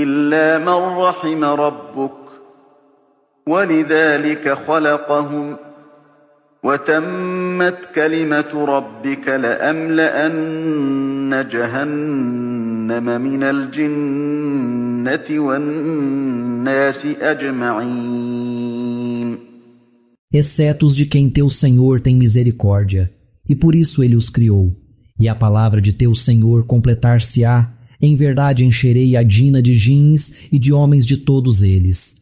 إلا من رحم ربك ولذلك خلقهم وتمت كلمة ربك لأملأن جهنم من الجنة والناس أجمعين. Exceto os de quem teu Senhor tem misericórdia, e por isso ele os criou. E a palavra de teu Senhor completar-se-á, em verdade encherei a Dina de jins e de homens de todos eles.